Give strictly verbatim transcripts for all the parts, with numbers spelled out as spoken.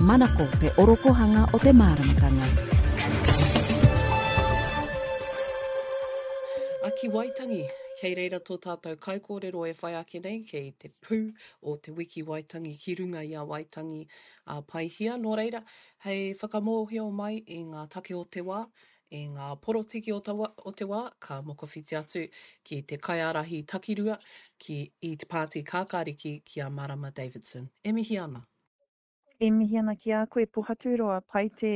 Manako te orokohanga o te māramatanga. A ki Waitangi, kei reira tō tātou kaikōrero e whai ake nei, kei te pū o te wiki Waitangi ki runga i a Waitangi a Paihia. Nō reira, hei whakamōhio mai i ngā take o te wā, i ngā porotiki o, tawa, o te wā, ka mokowhiti atu ki te kaiārahi takirua ki i te pāti kākāriki ki a Marama Davidson. E mihi ana. E mihi ana ki a koe, Pohaturoa, pai te,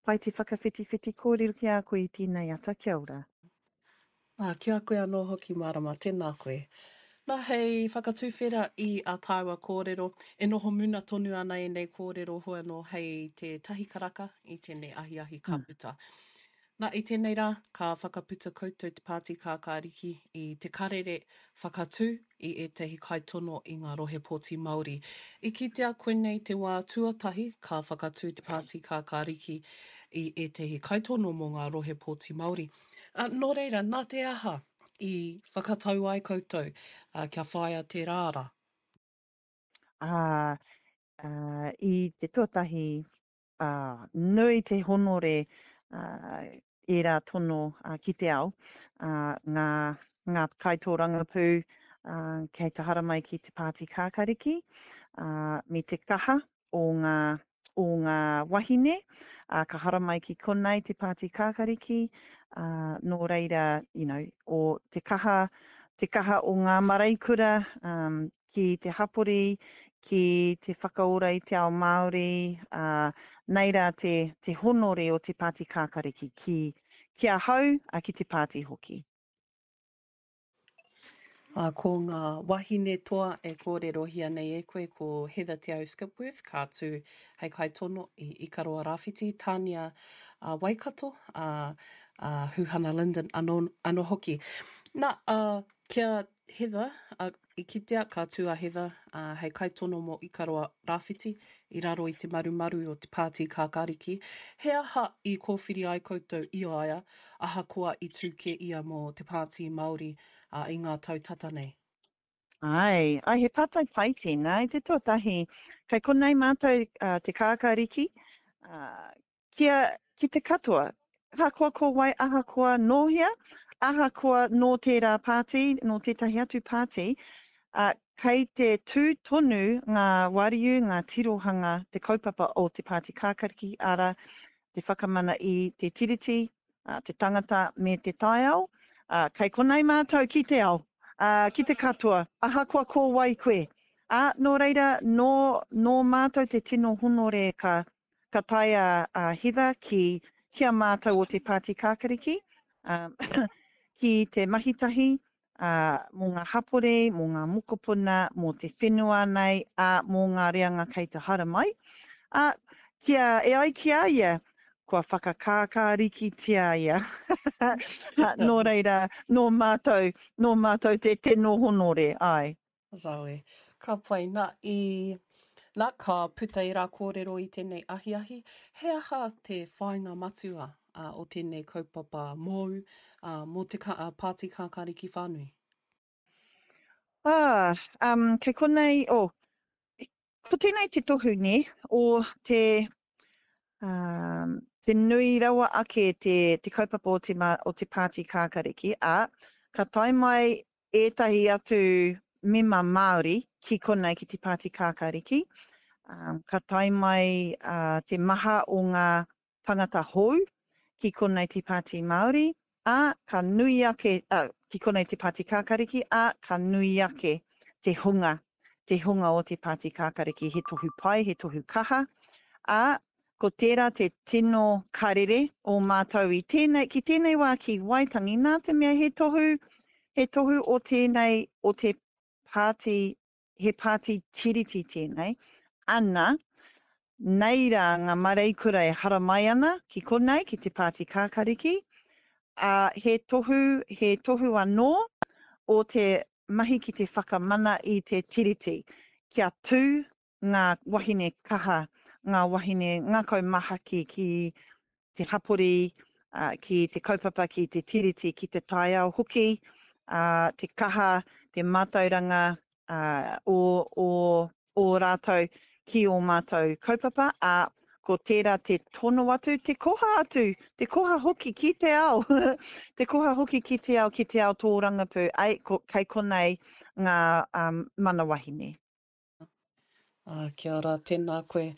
pai te whakawhitiwhiti kōrero ki a koe i tēnei ata, kia ora. Ā, ki a koe anō hoki, Marama, tēnā koe. Nā, hei whakatuwhera i a tāua kōrero, e noho muna tonu ana ēnei kōrero hoi anō hei te tahi karaka i tēnei ahiahi ka puta. Nā, i tēnei rā, ka whakaputa koutou te Pāti Kākāriki i te karere whakatū i ētahi kaitono i ngā rohe pōti Māori. I kitea koinei te wā tuatahi ka whakatū te Pāti Kākāriki i ētahi kaitono mō ngā rohe pōti Māori. Uh, nō reira, nā te aha i whakatau ai koutou uh, kia whāia tērā ara? Ā, uh, i te tuatahi, ā, nui te honore ā, ērā tono ā, ki te ao, ā, ngā, ngā kaitōrangapū ā, kei te haramai ki te Pāti Kākariki, ā, me te kaha o ngā, o ngā wahine, ā, ka haramai ki konei te Pāti Kākariki, ā, nō reira, you know, o te kaha, te kaha o ngā mareikura, um, ki te hapori, ki te whakaora i te ao Māori, ā, nei rā te, te honore o te Pāti Kākariki ki, ki ahau, ā, ki te pāti hoki. Ā, ko ngā wahine toa e kōrerohia nei e koe ko Heather Te Au Skipworth, ka tū hei kaitono i Ikaroa Rāwhiti, Tānia a Waikato, a, a Huhana Lyndon anō, anō hoki. Nā, ā, kia Heather, ā, i kitea ka tū a Heather ā, hei kaitono mō Ikaroa Rāwhiti i raro i te marumaru o te Pāti Kākāriki. He aha i kōwhiri ai koutou i a ia, ahakoa i tū kē ia mō te Pāti Māori ā, i ngā tau tata nei? Ai, ai, he pātai pai tēnā. I te tuatahi, kei konei mātou uh, te kākāriki, uh, kia, ki te katoa, ahakoa ko wai, ahakoa nō hea, ahakoa nō tērā pāti, nō tētahi atu pāti, uh, kei te tū tonu ngā wariu, ngā tirohanga, te kaupapa o te Pāti Kākariki, ara, te whakamana i te tiriti, uh, te tangata me te taiao. Uh, kei konei mātou ki te ao, uh, ki te katoa, ahakoa ko wai koe. Uh, nō reira, nō, nō mātou te tino honore ka, ka tae a, a Heather ki, ki a mātou o te Pāti Kākariki, um, ki te mahitahi, uh, mō ngā hapori, mō ngā mokopuna, mō te whenua nei, ā, mō ngā reanga kei te haramai. Uh, kia, e ai ki a ia, kua whakakākārikitia ia. Nō reira, nō mātou, nō mātou te tino honore, ai. Rawe. Ka pai. Nā, i, nā, ka puta i rā kōrero i tēnei ahiahi, he aha te whāinga matua uh, o tēnei kaupapa mōu, uh, mō te ka, uh, Pāti Kākāriki whānui? Ah, um, kei konei, oh, ko tēnei te tohu nē, o te, um, te nui rawa ake te, te kaupapa o te, ma, o te Pāti Kākariki, ā, ka tae mai ētahi atu mema Māori ki konei ki te Pāti Kākariki, um, ka tae mai uh, te maha o ngā tangata hou ki konei te Pāti Māori, ā, ka nui ake, uh, ki konei te Pāti Kākariki, ā, ka nui ake te hunga, te hunga o te Pāti Kākariki, he tohu pai, he tohu kaha, ā, ko tērā te tino karere o mātou i tēnei, ki tēnei wā ki Waitangi, nā te mea he tohu, he tohu o tēnei, o te pāti, he pāti tiriti tēnei, ana, nei rā ngā mareikura e haramai ana ki konei, ki te Pāti Kākariki, ā, he tohu, he tohu anō o te mahi ki te whakamana i te tiriti, kia tū ngā wahine kaha, ngā wahine ngākau mahaki ki te hapori, uh, ki te kaupapa, ki te tiriti, ki te taiao hoki, uh, te kaha, te mātauranga uh, o, o, o rātou ki ō mātou kaupapa, ā, ko tērā te tono atu, te koha atu, te koha hoki ki te ao, te koha hoki ki te ao, ki te ao tōrangapū, ai, ko, kei konei ngā um, mana wahine. Ah, kia ora, tēnā koe.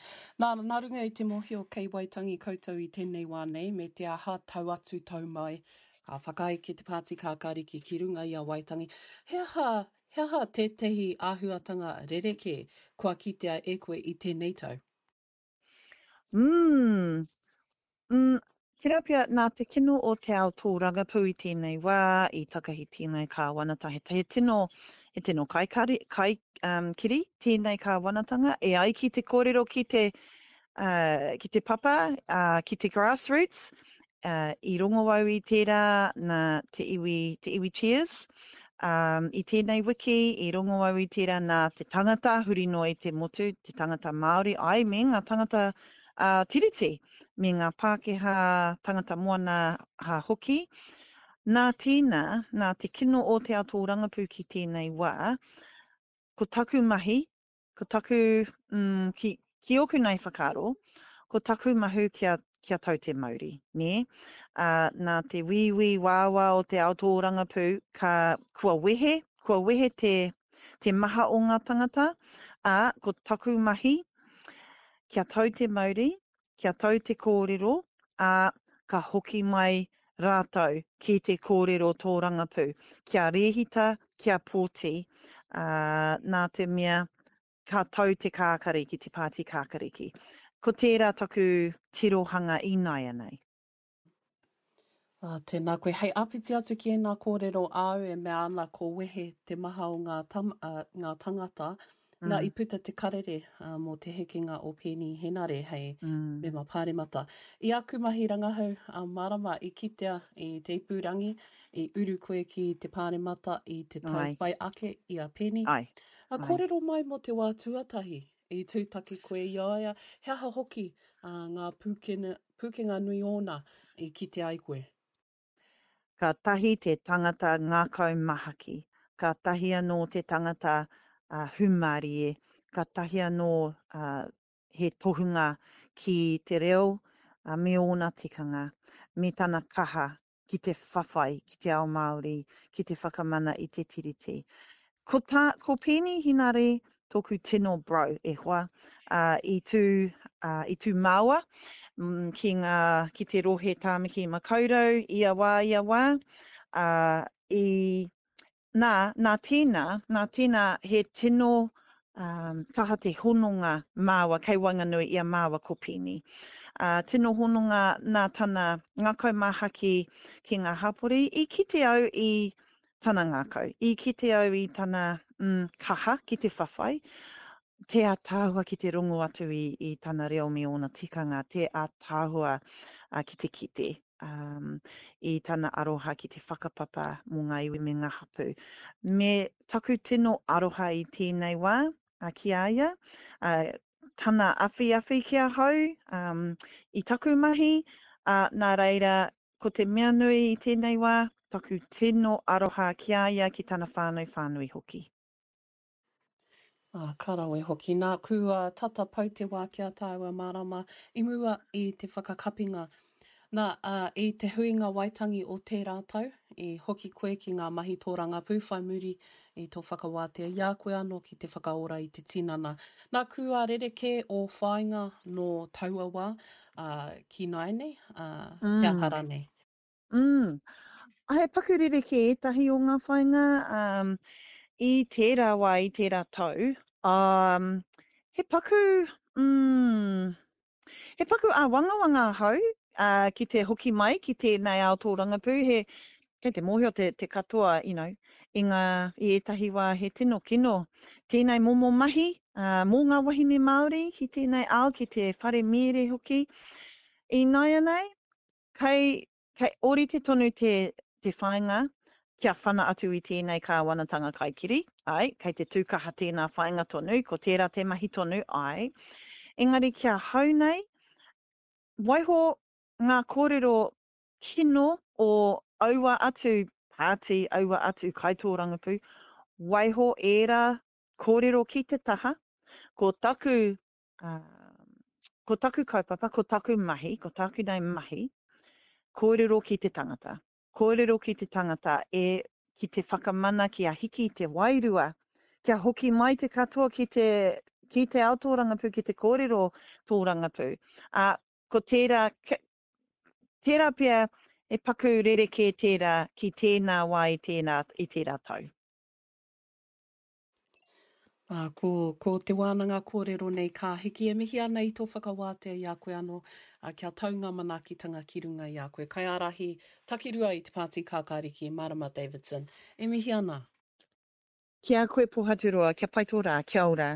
Nā, nā runga i te mōhio kei Waitangi koutou i tēnei wā nei, me te aha tau atu tau mai, ka whakaeke te Pāti Kākāriki ki runga i a Waitangi. He aha, he aha tētehi āhuatanga rerekē kua kitea e koe i tēnei tau? Mm, mm, tērā pea, nā te kino o te ao tōrangapū i tēnei wā, i takahi tēnei kāwanata, he, he tino, he tino kaikari, kai, um, kiri tēnei kāwanatanga, e ai ki te kōrero ki te, uh, ki te papa, uh, ki te grassroots, uh, i rongo au i tērā nā te iwi, te iwi Cheers, um, i tēnei wiki, i rongo au i tērā nā te tangata, huri noa i te motu, te tangata Māori, ai, me ngā tangata uh, tiriti, me ngā Pākehā tangata moana ha hoki. Nā tēnā, nā te kino o te ao tōrangapū ki tēnei wā, ko taku mahi, ko taku, mm, ki, ki ōku nei whakaaro, ko taku mahu kia, kia tau te mauri, nē? Uh, nā te wīwī wāwā o te ao tōrangapū, ka, kua wehe, kua wehe te, te maha o ngā tangata, ā, ko taku mahi, kia tau te mauri, kia tau te kōrero, ā, ka hoki mai rātou ki te kōrero tōrangapū, kia rēhita, kia pōti, ā, nā te mea ka tau te kākariki, te pāti kākariki. Ko tērā taku tirohanga ināianei. Ah, tēnā koe. Hei āpiti atu ki ēnā kōrero āu e mea ana ko wehe te maha o ngā, tam, uh, ngā tangata. Mm. Nā, i puta te karere uh, mō te hekenga o Peeni Henare hei mm. mema pāremata. I aku mahi rangahau uh, marama i kitea i te ipurangi, i uru koe ki te pāremata i te tau Ai. whai ake i a Peeni. Ai. A kōrero mai mō te wā tuatahi i tūtaki koe i a ia, he aha hoki uh, ngā pūkenga, pūkenga nui ōna i kite ai koe? Ka tahi te tangata ngākau mahaki, ka tahi anō te tangata uh, hūmārie, ka tahi anō uh, he tohunga ki te reo uh, me ōna tikanga, me tana kaha ki te whawhai, ki te ao Māori, ki te whakamana i te tiriti. Ko, tā, ko Peeni Henare tōku tino bro e hoa, uh, i tū, uh, i tū māua mm, ki, ngā, ki te rohe Tāmaki Makaurau ia wā, ia wā. Uh, i, nā, nā tēnā, nā tēnā he tino um, kaha te hononga māua kei waenganui i a māua ko Peeni. Uh, tino hononga nā tana ngākau māhaki ki ngā hapori, i kite au i tana ngākau, i kite au i tana mm, kaha ki te whawhai, te ātaahua ki te rongo atu i, i tana reo me ōna tikanga, te ātaahua uh, ki te kite um, i tana aroha ki te whakapapa mō ngā iwi me ngā hapū. Me taku tino aroha i tēnei wā uh, ki a ia, uh, tana awhiawhi ki ahau um, i taku mahi, uh, nā reira ko te mea nui i tēnei wā, taku tino aroha ki a ia, ki tana whānau whānui hoki. Ah, ka rawe hoki. Nā, kua tata pau te wā ki a tāua marama i mua i te whakakapinga. Nā, uh, i te huinga Waitangi o tērā tau, i hoki koe ki ngā mahi tōrangapū whai muri i tō whakawātea i a koe anō ki te whakaora i te tinana. Nā, kua rerekē o whāinga nō taua wā uh, ki nāianei, uh, mm. he aha rānei? Mm. He paku rerekē ētahi o ngā whāinga um, i tērā wā, i tērā tau. Um, he paku, mm, he paku āwangawanga ahau uh, ki te hoki mai ki tēnei ao tōrangapū. He, kei te mōhio te, te katoa, you know, i, ngā, i ētahi wā he tino kino. Tēnei momo mahi uh, mō ngā wahine Māori ki tēnei ao, ki te whare mīre hoki. Ināianei, kei, kei ōrite tonu te, te whāinga kia whana atu i tēnei kāwanatanga kaikiri, ai, kei te tūkaha tēnā whāinga tonu, ko tērā te mahi tonu, ai. Engari ki ahau nei, waiho ngā kōrero kino o aua atu pāti, aua atu kaitōrangapū, waiho ērā kōrero ki te taha, ko taku um, ko taku kaupapa, ko taku mahi, ko tāku nei mahi, kōrero ki te tangata. Kōrero ki te tangata e ki te whakamana ki a hiki te wairua, kia hoki mai te katoa ki te, ki te ao tōrangapū, ki te kōrero tōrangapū. Ā, ko tērā, tērā pea e paku rerekē tērā ki tēnā wā i tēnā, i tērā tau. Ā, ko, ko te wānanga kōrero nei ka hiki e mihi ana i tō whakawātea i a koe anō, ā, kia tau ngā manaakitanga ki runga i a koe. Kaiārahi takirua i te Pāti Kākāriki, Marama Davidson, e mihi ana. Ki a koe Pohaturoa, kia pai tō rā, kia ora.